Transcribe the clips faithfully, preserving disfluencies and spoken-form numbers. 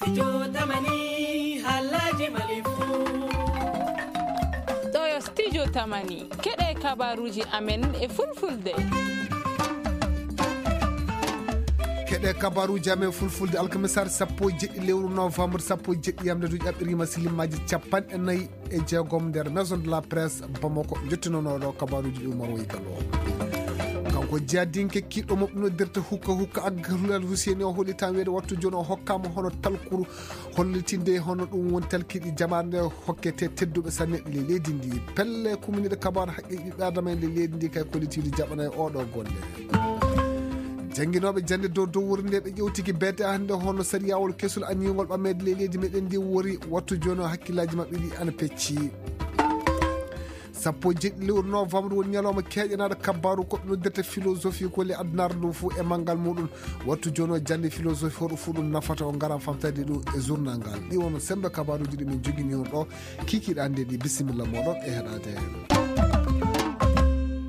Studio Tamani, halaji Mali fu. Ɗo yo Studio Tamani, keɗe kabaruji amen e fulfulde. Keɗe kabaruji amen fulfulde, alkamisaare sappo e jeɗɗi lewru novembre, sappo e jeɗɗi yamde du ƴaɓɓirima silimaji capanɗe nayi e jeegom nder Maison de la Presse Bamako, jottinonoɗo kabaruji ɗi Umar Waygalo. Kanko jiyadinke kiɗɗo mo noddirta hukka hukka agga Hulal Husseini o holitama weede wattu joni o hokkama hono talkuru hollitinde hono ɗum woni talkiɗi jamaare nde hokkete tedduɓe sanne ɗi le leydi ndi. Pelle kuminiɗe kabaru haqqe ɓiɓɓe adama en le leydi ndi kay kollitiɗi jaɓana e oɗo golle. Jannginooɓe jannde dow dow wuro nde ɓe ƴewtiki beete hannde hono sariyawol kesul aniyngol ɓammeede le leydi meɗen ndi wori wattu joni o hakkillaji maɓɓe ɗi ana pecci. Sappo e jeɗɗi lewru novembre woni ñalawma keeƴanaɗo kabbaru ko ɓe noddirta philosophie ko le addunaare ndu fuu e manngal muɗum. Wattu joni o jannde philosophie hoɗo fuu ɗum nafata o ngaran famtade ɗum e journal ngal. Ɗi wono sembe kabaruji ɗi min jogini on ɗo kikiɗe hannde ɗi. Bisimilla moɗon e heɗade.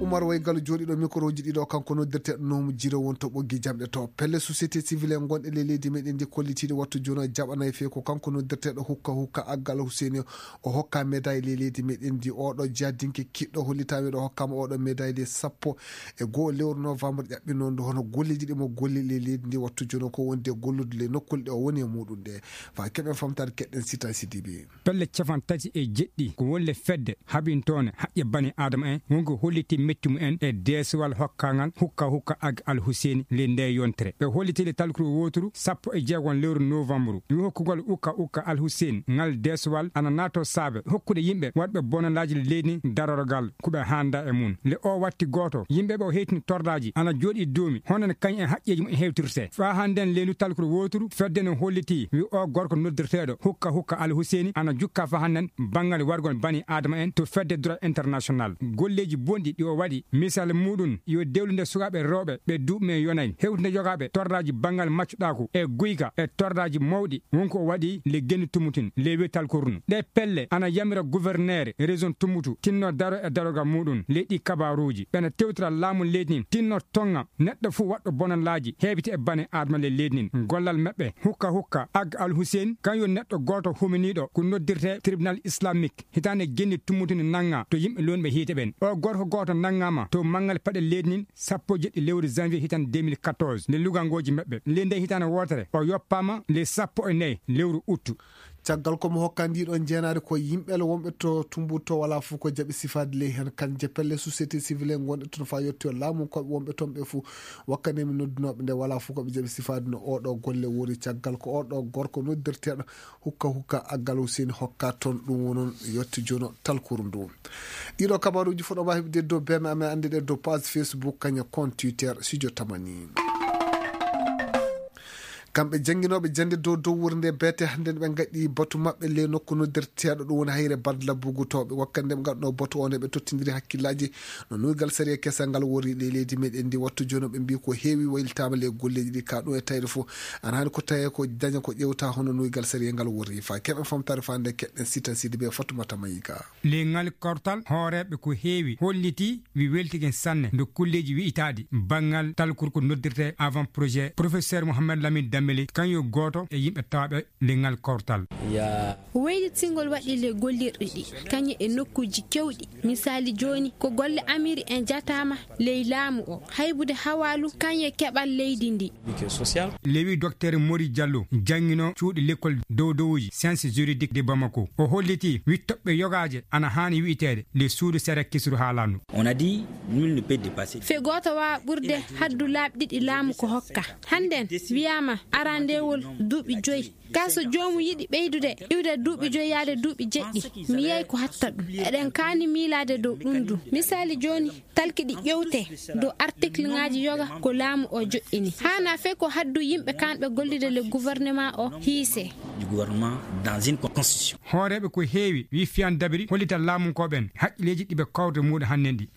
Umar Waygalo jooɗiɗo microji ɗiɗo kanko noddirteɗo nomu jiro wonto ɓoggi jamɗe to pelle société civile en gonɗe le leydi meɗen ndi kollitiɗe wattu joni o jaɓanay fe ko kanko noddirteɗo hukka hukka aggal Husseini. O hokka médaille le leydi meɗen ndi oɗo jadinke kiɗɗo hollitami ɗo hokkama oɗo médaille de sappo e goho lewru novembre ƴaɓɓinondu hono golleji ɗi mo golli le leydi ndi wattu joni ko wonde gollude le nokkule ɗe o woni e muɗum ɗe. Fa keɓen famtade keɗɗen sita sidibi. Pelle capan tati e jeɗɗi ko wolle fedde haɓintoone haqqe bani adama en wonko holliti metti mumen e deesowal hokkangal hukka hukka ag al huseeni le nde yontere ɓe holliti le talkuru woturu sappo e jeegon lewru novembre wi hokkugol ukka ukka al huseen ngal deesowal ana naato saabe hokkude yimɓe waɗɓe bonanaaji leydi darorgal ko ɓe hannda e mum le o watti gooto yimɓe ɓe o heytini tordaaji ana jooɗi duumi hono no kañ e haqqeeji mum e hewtirte faa hannden leylu talkuru woturu fedde no holliti wi o gorko noddirteeɗo hukka hukka al huseeni ana jukka faa hannden banngal wargol bani adama en to fedde droit international golleeji bonɗi ɗi o waɗi misal muɗum yo dewlude sukaaɓe rewɓe ɓe duuɓi men yonay hewtinde yogaaɓe torraaji banngal maccuɗaaku e guyka e torraaji mawɗi wonko o waɗi le genni tummutin le wetal kornu ɗe pelle ana yamira gouverneur région tummutu tinno daro e darogal muɗum leyɗi kabaruuji ɓena tewtira laamu leydi nin tinno tonga neɗɗo fuu waɗɗo bonanlaaji heewiti e bane adama le leydi nin gollal maɓɓe hukka hukka ag al hussein kan yo neɗɗo gooto huminiiɗo ko noddirte tribunal islamique hitaande genni tummutude nannga to yimɓe lonɓe hiite ɓen o gorko gooto nanngama to manngal paɗe leydi nin sappo e jeɗɗi lewru janvier hitaande deux mille quatorze nde lugangooji maɓɓe ley nde hitaande wootere o yoppaama ley sappo e nayi lewru uttu. Caggal ko mo hokka ndiɗon jeenaade ko yimɓe le wonɓe to tumbuto wala fof ko jaɓi sifaade ley heen kan je pelle société civile ngonɗe toon fa yettoyo laamu koɓe wonɓe toon ɓe fof wakkane mi noddunooɓe nde wala fof koɓe jaɓi sifaade no oɗo golle woni caggal ko oɗo gorko noddirteeɗo hukka hukka aggal Hussein hokka toon ɗum wonon yetto jono talkuru ndu. Ɗiɗo kabaruuji fof ɗo mbaawi heɓde dow beme amen annde ɗe dow page Facebook kaña compte Twitter Studio Tamani. Kamɓe jannginooɓe jannde dow dow wuro nde beete hannde ɓe ngaɗi batu maɓɓe le nokku noddirteeɗo ɗum woni hayre badla bugutooɓe wakkati nde ɓe ngaɗno batu o nde ɓe tottindiri hakkillaaji no nuygal sariya kesal ngal wori le leydi meɗen ndi wattu jono ɓe mbi ko heewi waylitaama le golleeji ɗi ka ɗum e tawde fof ana hani ko tawi ko daña ko ƴewta hono nuygal sariya ngal wori fa keɓen famtare fa nde keɗɗen sita sidi ɓe fatumata mayika. Leŋal kortal hooreeɓe ko heewi holliti wi weltigen sanne ndo kulleeji wi'itaaɗi banngal talkurko noddirte avant projet professeur Mohamed Lamine Dambeli kañum gooto e yimɓe tawaaɓe leŋal kortal. Waylitingol waɗi le gollirɗi ɗi kañum e nokkuuji kewɗi misaali jooni ko golle amiri en jataama ley laamu o haybude hawaalu kañum e keɓal leydi ndi. Lewi Docteur Mori Diallo janngino cuuɗi lekkol dowdowuji science juridique de Bamako o holliti wittoɓɓe yogaaje ana haani wi'iteede nde suudu sere kisru haalandu. On a dit nul ne peut dépasser. Fe gooto waawaa ɓurde haddu laabi ɗiɗi laamu ko hokka. Hannden wiyaama arandeewol duuɓi joyi. Kaa so joomum yiɗi ɓeydude iwde duuɓi joyi yaade duuɓi jeɗɗi, mi yiyay ko hatta ɗum. Eɗen kaani miilaade dow ɗum du. Misaali jooni, talki ɗi ƴewtee dow artikleŋaaji yoga ko laamu oo joɗɗini. Haanaa fey ko haddu yimɓe kaanɓe gollude le gouvernement oo hiisee. Du gouvernement dans une constitution. Hooreeɓe ko heewi, wi Fiyan Dabiri hollita laamunkooɓe en haqqilleeji ɗi ɓe kawrata muuɗe hannden ɗi.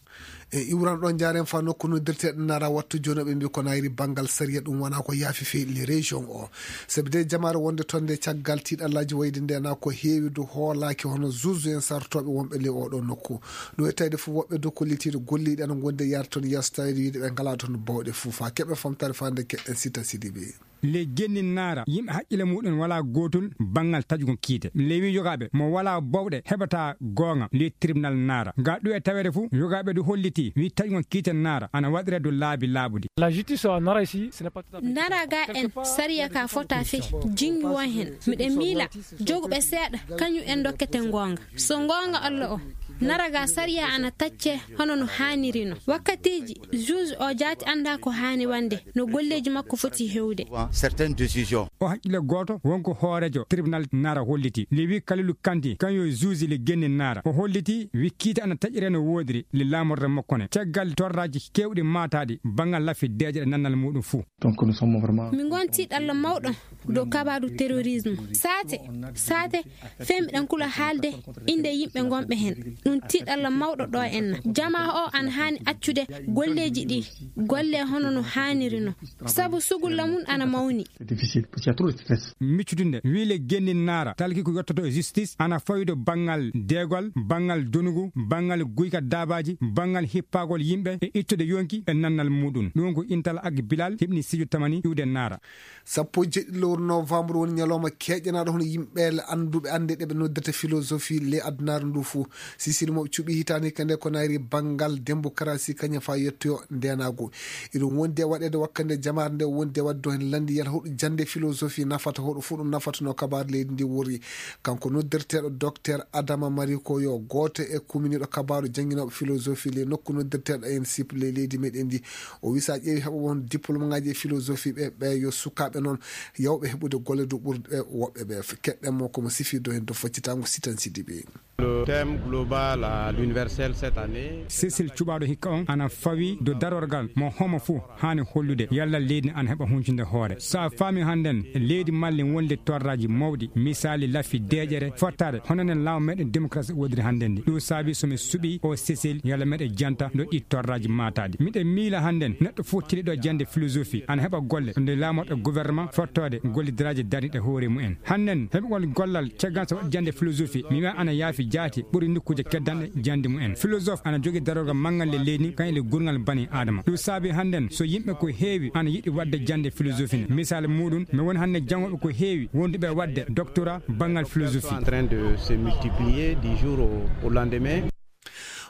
E iwran ɗo jaaren fa nokku noddirteɗo nara wattu jonoɓe mbi ko nayri banngal sariya ɗum wona ko yaafi fii le région o. Sabi de jamaare wonde toon nde caggal tiiɗallaaji wayde nde na ko heewi du hoolaaki hono zuzu en sartooɓe wonɓe le oɗo nokku. Ɗum e tawde fof woɓɓe du kollitiiɗo golliiɗi ana ngondi e yahde toon yeeso tawde wiide ɓe ngalaa toon bawɗe fof fa keɓe famtare fa nde keɗen sita sidiɓe. Ley genni naara, yimɓe haqqille muɗum walaa gootol banngal taƴugol kiite. Ley wii yogaaɓe mo walaa bowɗe heɓataa goonga ley tribunal naara. Ga ɗum e taweede fof, yogaaɓe ɗum hollitii wii taƴugol kiite naara ana waɗiree dow laabi laaɓuɗi. La justice en Nara ici, ce n'est pas tout à fait. Nara ga en, sariya ka fota fii, jingi won heen. Miɗen miila joguɓe seeɗa, kañum en dokkete goonga. So goonga Allah o, naraga sariya ana tacce hono no haaniri no. Wakkatiiji, juge o jaati annda ko haani wande, no golleeji makko foti hewde. Certaines décisions. O haqqille gooto wonko hooreejo tribunal naara holliti. Le wi Kalilu Kanti, kañum yo juge le genni naara. O holliti wi kiite ana taƴire no woodiri le laamorde makko ne. Caggal torraaji keewɗi maataaɗi banngal lafi deeƴe ɗe nannal muɗum fuu. Donc, nous sommes vraiment. Min ngonti ɗalla mawɗo dow kabaaru terrorisme. Saate, saate, fee miɗen kula haalde innde yimɓe ngonɓe heen. Ɗum tiiɗalla mawɗo ɗo enna. Jamaa o ana haani accude golleeji ɗi, golle hono no haaniri no. Sabu sugulla mum ana mawni. C'est difficile, parce qu'il y a trop de stress. Miccudunde, wii le genni naara, talki ko yottoto e justice, ana fawi dow banngal deegol, banngal donugu, banngal guyka daabaaji, banngal hippagol yimɓe e ittude yonki e nannal muɗum. Ɗum ko Intal Ag Bilal heɓni Sidio Tamani iwde naara. Sappo e jeeɗiɗi lewru novembre woni ñalawma keeƴanaaɗo hono yimɓe annduɓe annde ɗe ɓe noddirta philosophie ley adunaaru ndu fuu. Sisili mo ɓe cuɓi hitaande hikka nde ko nayri banngal démocratie kañum faa yettoyo ndeenaagu. Iɗum wondi e waɗeede wakkande jamaare nde wondi e waɗde heen lanndiyal hoɗo jannde philosophie nafata, hoɗo fuu ɗum nafatano kabaaru leydi ndi wori. Kanko noddirteeɗo Docteur Adama Mariko yo gooto e kuminiiɗo kabaaru jannginooɓe philosophie ley nokku noddirteeɗo en sip ley leydi meɗen ndi. O wi so a ƴeewi heɓooɓe on diplôme ŋaaji e philosophie ɓe, ɓe yo sukaaɓe noon yawɓe heɓude golle dow ɓurɗe woɓɓe ɓe. Keɗɗen mo ko mo sifii dow heen dow faccitaango Sitan Sidibe. Le thème global à l'universel cette année. Cécile cuɓaaɗo hikka on ana fawi dow darorgal mo homo fuu haani hollude yalla leydi ana heɓa huncunde hoore. So a faami hannden leydi malli wonde torraaji mawɗi, misaali lafi deeƴere fottaade hono nen laamu meɗen démocratie wodiri hannden ndi. Ɗum saabi so mi suɓii o Cécile yalla meɗe janta ɗo ɗi torraaji maataaɗi. Miɗen miila hannden neɗɗo fof tiliɗo jannde philosophie ana heɓa golle nde laamorɗo gouvernement fottoode gollidiraaji darniiɗe hoore mumen. Hannden heɓugol gollal caggal so waɗi jannde philosophie, mi wi'a ana yaafi jaati ɓuri nokkuuje keddanɗe jannde mumen. Philosophe ana jogii darorgal manngal le leydi kan e le gurngal bani Aadama. Ɗum saabi hannden so yimɓe ko heewi ana yiɗi waɗde jannde philosophie ne. Misaal muɗum, mi woni hannde janngooɓe ko heewi wonduɓe waɗde doctorat banngal philosophie. En train de se multiplier du jour au, au lendemain.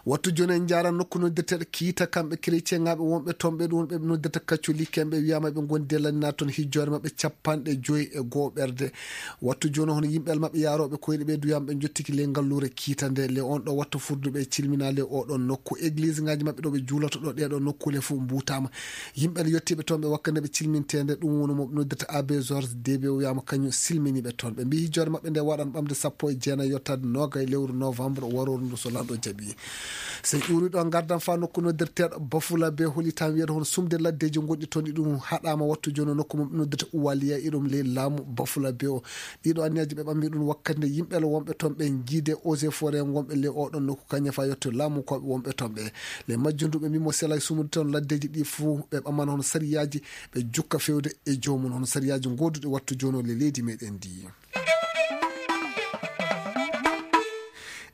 Wattu jooni en njaara nokku noddirteeɗo Kiita, kamɓe chrétienŋaaɓe wonɓe toon ɓe ɗum ɓe noddirta catholique en, ɓe wiyaama ɓe ngondi e lanndinaa toon hijjoore maɓɓe capanɗe joyi e goo ɓerde. Wattu jooni hono yimɓe maɓɓe yaarooɓe koyɗe ɓe duyaama ɓe njottiki ley ngalluure Kiita nde le on ɗo wattu furduɓe cilminaa le o ɗon nokku. Église ŋaaji maɓɓe ɗo ɓe juuloto ɗo ɗee ɗoo nokkuule fof mbuutaama. Yimɓe yottiiɓe toon ɓe wakkande ɓe cilminteende ɗum woni mo ɓe noddirta Abbé Georges Debe o wiyaama kañum silminiiɓe toon. Ɓe mbii hijjoore maɓɓe nde waɗan ɓamde sappo e jeenayi yottaade noogay lewru novembre warooru ndu so lanɗo jaɓi. So en ƴuuri ɗo ngardan faa nokku noddirteeɗo Bafula be holi tan wiyata hono sumde laddeeji gonɗi toon ɗi ɗum haɗaama wattu jooni nokku mum noddirta Uwaliya e ɗum ley laamu Bafula be o. Ɗiɗo anniyaji ɓe ɓammi ɗum wakkati nde yimɓe wonɓe toon ɓe jiide eaux et forêt wonɓe ley oɗon nokku kañum faa yetto laamu koɓe wonɓe toon ɓe. Ley majjum ndu ɓe mbii mo sela e sumude toon laddeeji ɗi fuu ɓe ɓammana hono sariyaaji ɓe jukka fewde e joomum hono sariyaaji gooduɗi wattu jooni o ley leydi meɗen ndi.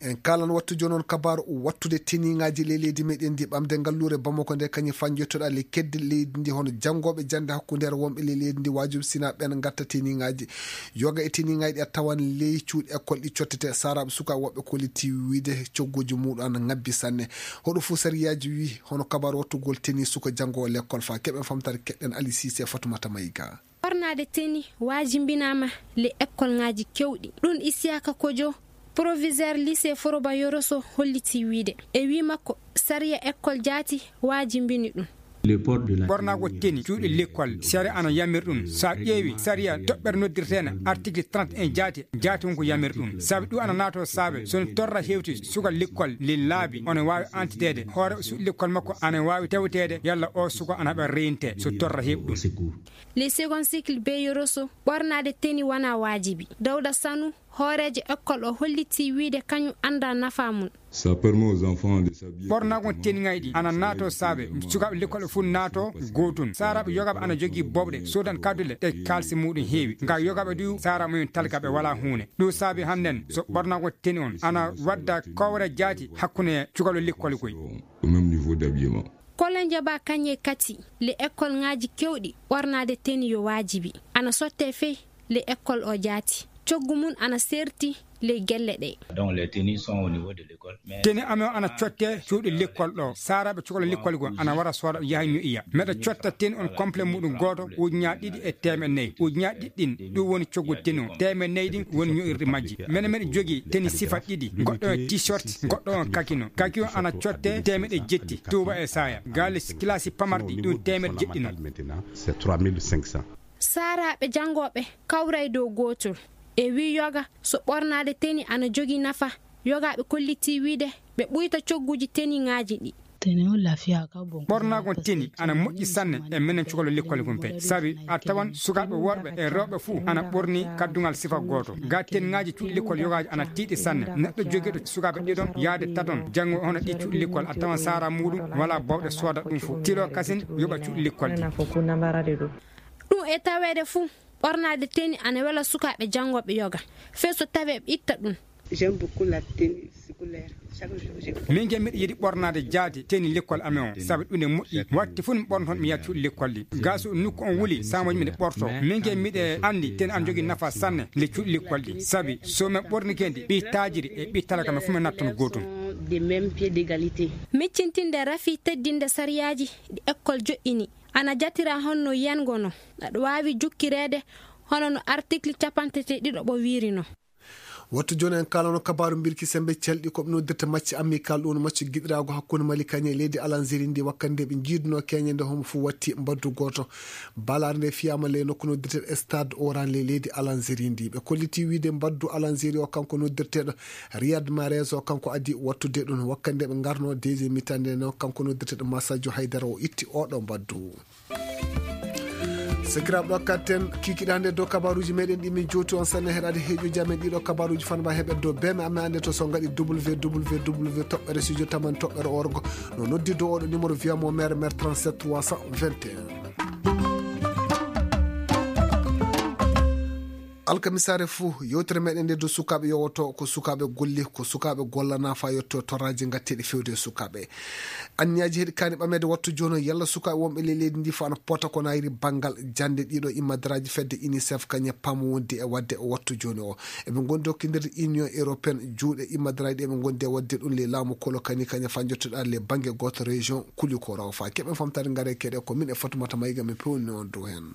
En kaalan wattu jooni on kabaaru wattude teniŋaaji ley leydi meɗen ndi ɓamde ngalluure Bamako nde kañum fanjottoɗa le kedde leydi ndi hono janngooɓe jannde hakkundeere wonɓe ley leydi ndi waajum sina ɓen ngatta teniŋaaji. Yoga e teniŋaaji ɗi a tawan ley cuuɗi école ɗi cottete saraaɓe sukaaɓe woɓɓe kolliti wiide cogguuji muɗum ana ngabbi sanne. Hoɗo fuu sariyaaji wi hono kabaaru wattugol teni suka janngoowo l'école faa keɓen famtare keɗɗen Ali Sise Fatumata Mayga. Ɓornaade teni waajimbinaama le ekkolŋaaji keewɗi. Ɗum Isiyaka Kojo, proviseur lycée Foroba Yoroso holliti wiide. E wii makko, sariya ekkol jaati waajimbini ɗum. Ɓornago teni cuuɗi lekkol sariya ana yamir ɗum. So a ƴeewi sariya toɓɓere noddirteene article trente et un jaati, jaati won ko yamir ɗum. Sabi ɗum ana naato saabe so torra hewti suka lekkol le laabi ona waawi antiteede. Hoore suuɗi lekkol makko ana waawi tewteede yalla o suka ana haɓa reyinte so torra heɓi ɗum. Les second cycle Beyoroso ɓornaade teni wonaa waajibi. Dawda Sanu, hooreejo ekkol o hollitii wiide kañum anndaa nafaa mum. Ça permet aux enfants de s'habiller correctement. Ɓornago teniŋaaji ɗi ana naato saabe sukaaɓe lekkol fof naato gootun. Saaraaɓe yogaaɓe ana jogii bowɗe soodan kaddule ɗe kaalisi muɗum heewi. Nga yogaaɓe du saara mumen talka ɓe walaa huune. Ɗum saabi hannden so ɓornago teni on ana wadda kowre jaati hakkunde cukalɓe lekkol koy. Au même niveau d'habillement. Kolo njaɓa kañe kati le ekkolŋaaji keewɗi ɓornaade teni yo waajibi. Ana sotte fey le ekkol o jaati. Coggu mum ana seerti ley gelle ɗe. Donc, les tenues sont au niveau de l'école, mais teni amen ana cotte cuuɗi lekkol ɗo. Saaraaɓe cukalo lekkol goo ana wara sooda yaha ño'iya. Meɗa cotta teni on complet muɗum gooto ujuñaaji ɗiɗi e teemeɗe nayi. Ujuñaaji ɗiɗi ɗin, ɗum woni coggu teni on. Teemeɗe nayi ɗin woni ño'irɗi majji. Mene meɗa jogii teni sifa ɗiɗi. Goɗɗo on t-shirt, goɗɗo on kaki non. Kaki on ana cotte teemeɗe jetti. Tuuba e saaya. Gaali kilasi pamarɗi ɗum teemeɗe jeɗɗi non. C'est trois mille cinq cents. Saaraaɓe janngooɓe kawray dow gootol. E wii yoga so ɓornaade teni ana jogii nafa, yogaaɓe kollitii wiide ɓe ɓuyta cogguuji teniŋaaji ɗi. Teni on lafiya ka bon. Ɓornaagon teni ana moƴƴi sanne e menen cukalo lekkol gon pey. Sabi a tawan sukaaɓe worɓe e rewɓe fuu ana ɓorni kaddungal sifa gooto. Ga teniŋaaji cuuɗi lekkol yogaaji ana tiiɗi sanne. Neɗɗo jogiiɗo sukaaɓe ɗiɗon yaade taton janngo hono ɗi cuuɗi lekkol a tawan saara muuɗum wala bawɗe sooda ɗum fuu. Tilo kasin yoɓa cuuɗi lekkol ɗi. Ɗum e taweede fuu, ɓornaade teni ana wela sukaaɓe janngooɓe yoga. Fey so tawee ɓe itta ɗum. J'aime beaucoup la tenue scolaire. Chaque jour, je porte. Min ke miɗo yiɗi ɓornaade jaade teni lekkol amen o, sabu ɗum ne moƴƴi. Watte fof mi ɓornoton mi yaha cuuɗi lekkol ɗi. Ga so nokku on wuli, samoji miɗo ɓorto. Min ke miɗo anndi teni ana jogii nafa sanne le cuuɗi lekkol ɗi. Sabi so min ɓornike ndi, ɓi taajiri e ɓi talaka men fof min nattan gootum. Des mêmes pieds d'égalité. Miccintinde rafi teddinde sariyaaji ɗi ekkol joɗɗini. Ana jatira honno yiyango no. Aɗa waawi jukkireede hono no article capanɗe tati e ɗiɗo ɓo wiiri no. Wattu jooni en kaalano kabaaru mbirki sembe celɗi ko ɓe noddirta macce amical, ɗum no macce giɗiraago hakkunde Mali kañe e leydi Alanzeri ndi wakkati nde ɓe njiiduno keñe nde homo fof watti mbaddu gooto. Balaare nde fiyaama ley nokku noddirteeɗo Stade Oran ley leydi Alanzeri ndi. Ɓe kolliti wiide mbaddu Alanzeri o kanko noddirteeɗo Riyad Mahrez o kanko addi wattude ɗum wakkati nde ɓe ngarno deuxième mi-temps nde no kanko noddirteeɗo Masadio Haydara o itti oɗo mbaddu. Sakiraaɓe ɗo katten kikiɗe hannde dow kabaruuji meɗen ɗi min jowti on sanne heɗaade heeƴuji amen ɗiɗo kabaruuji fanba heɓe dow beme amen annde to so ngaɗi www toɓɓere studio tamani toɓɓere orgo no noddi dow oɗo numéro wiyamo mere mere trente-sept trois cent vingt et un. Alkamisaare fuu yewtere meɗen nde dow sukaaɓe yowoto ko sukaaɓe golle ko sukaaɓe gollana fa yetto torraji ngatteɗi fewde e sukaaɓe. Anniyaji heɗi kaani ɓameede wattu jooni o yalla sukaaɓe wonɓe ley leydi ndi fof ana pota ko nayri banngal jannde ɗiɗo immadaraaji fedde unicef kañe pamo wondi e waɗde wattu jooni o. Eɓe ngondi hokkindirde union européenne juuɗe immadaraaji ɗi eɓe ngondi e waɗde ɗum ley laamu kolo kani kañe fa jottoɗa ley bannge gooto région kuli ko raw fa keɓen famtare ngare keɗe ko min e fatumata mayga min pewni on dow heen.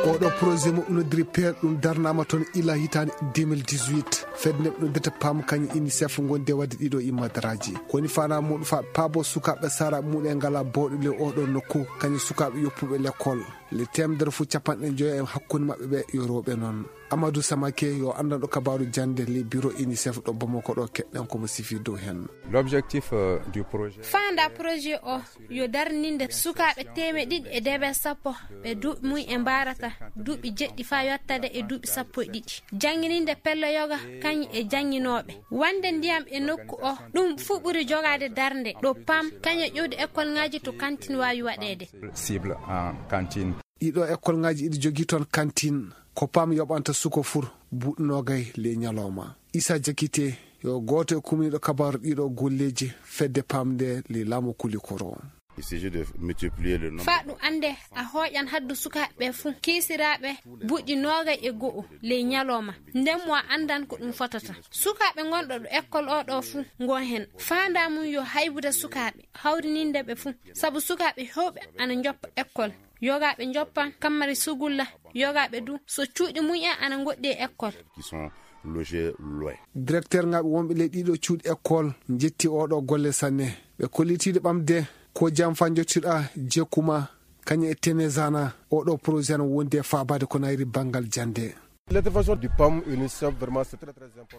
Oɗo projet mo noddiri peer ɗum darnama toon ila hitaande deux mille dix-huit. Fedde nde ɓe noddata pam kañum unicef gonde wadde ɗiɗo immadaraaji koni fana muɗum fa paabo sukaaɓe sara muɗe ngala bawɗe le oɗo nokku kañum sukaaɓe yoppuɓe lekkol le temedere fof capanɗe joyo e hakkunde maɓɓe ɓe yo rewɓe noon. Amadou Samake yo anndanɗo kabaaru jannde le bureau unicef ɗo Bamako ɗo keɗɗen komo sifi dow heen. L'objectif du projet. Faanda projet o yo darninde sukaaɓe teemeɗe ɗiɗi e deeɓe sappo ɓe duuɓi mum e mbarata duuɓi jeɗɗi fa yottade e duuɓi sappo e ɗiɗi. Janngininde pello yoga kañum e jannginooɓe wonde ndiyam e nokku o ɗum fuu ɓuri jogaade darnde ɗo pam kañum ƴuwde ekkolŋaaji to kantin waawi waɗeede. Cible en cantine. Ɗiɗo ekkolŋaaji iɗi jogii toon kantin ko pam yoɓanta suko fur buuɗi noogay ley ñalawma. Isa Jakite yo gooto e kumniiɗo kabaaru ɗiɗo golleeji fedde pam nde ley laamu kulikoro. Fa ɗum annde a hooƴan haddu sukaaɓe ɓe fuu kiisiraaɓe buuɗi noogay e go'o ley ñalawma nden mo a anndan ko ɗum fotata. Sukaaɓe ngonɗo ɗo ekkol o ɗo fuu ngon heen faanda mum yo haybude sukaaɓe hawrininde ɓe fuu sabu sukaaɓe heewɓe ana njoppa ekkol. Yogaaɓe njoppan kammari sugulla yogaaɓe du so cuuɗi mum en ana ngoɗɗi e ekkol. Directeur ŋaaɓe wonɓe ley ɗiɗo cuuɗi ekkol njetti oɗo golle sanne ɓe kollitiiɗo ɓamde ko jam fa njottiɗa jekkuma kañum e tenezana oɗo projet no wondi e faabaade ko nayri banngal jannde.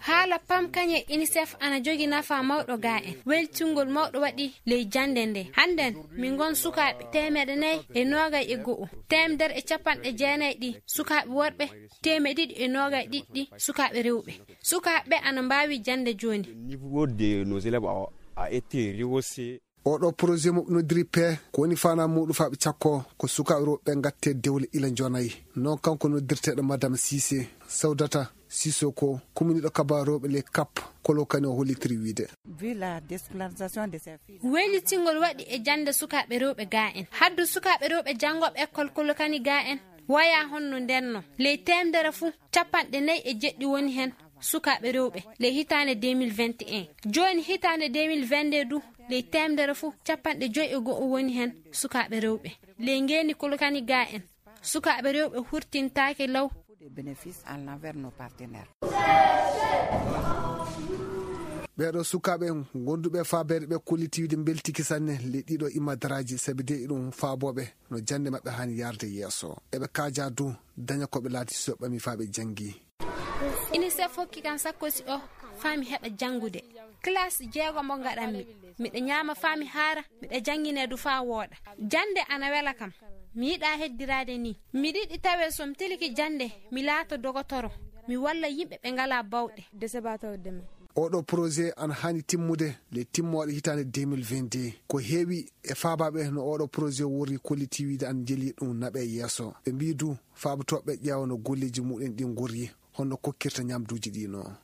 Haala pam kañe unicef ana jogi nafa mawɗo ga en weltingol mawɗo waɗi ley jannde nde hannden min ngon sukaaɓe teemeɗe nayi e noogay e go'o teemedere e capanɗe jeenayi ɗi sukaaɓe worɓe teemeɗe ɗiɗi e noogay ɗiɗi ɗi sukaaɓe rewɓe sukaaɓe ɓe ana mbaawi jannde jooni. Niveau de nos élèves a été rehaussé. Oɗo projet mo noddiri pe ko woni fana muɗum faɓe cakko ko sukaaɓe rewɓe ɓe gatte dewle ila jonayi. Noon kanko noddirteɗo madame sise sawdata Sisoko, kuminiiɗo kabaa rewɓe ley kap, kolo kani o hollitiri wiyde. Weylitingol waɗi e jannde sukaaɓe rewɓe gaa en. Haddu sukaaɓe rewɓe janngooɓe ekkol kolo kani gaa en wayaa honno ndenno. Ley teemdere fuu, capanɗe nayi e jeɗɗi woni heen sukaaɓe rewɓe ley hitaande deux mille vingt et un. Jooni hitaande deux mille vingt-deux du, ley teemdere fuu, capanɗe joyi e go'o woni heen sukaaɓe rewɓe. Ley ngeeni kolo kani gaa en, sukaaɓe rewɓe hurtintaake law. Ɓeeɗo sukaaɓe gonduɓe faabeede ɓe kolliti wiyde mbeltiki sanne ley ɗiɗo imadaraaji, sabi de iɗum faabooɓe no jannde maɓɓe haani yarde yeeso. Eɓe kaaja du daña ko ɓe laati so ɓami faa ɓe janngi. Inisef hokki kam sakkosi o faa mi heɓa janngude. Kilaas jeego mo ngaɗanmi. Miɗa ñaama faa mi haara, miɗa janngine du faa wooɗa. Jannde ana wela kam. Mi yiɗaa heddiraade nii. Miɗa yiɗi tawee so mi tiliki jannde, mi laata dogotoro, mi walla yimɓe ɓe ngalaa bawɗe. Oɗo projet ana haani timmude le timmooɗe hitaande deux mille vingt-deux. Ko heewi e faabaaɓe no oɗo projet worri kolliti wiyde ana jeli ɗum naɓe yeeso. Ɓe mbii du faabotooɓe ƴeewa no golleeji mumen ɗin ngorri, honno kokkirta ñamduuji ɗi no.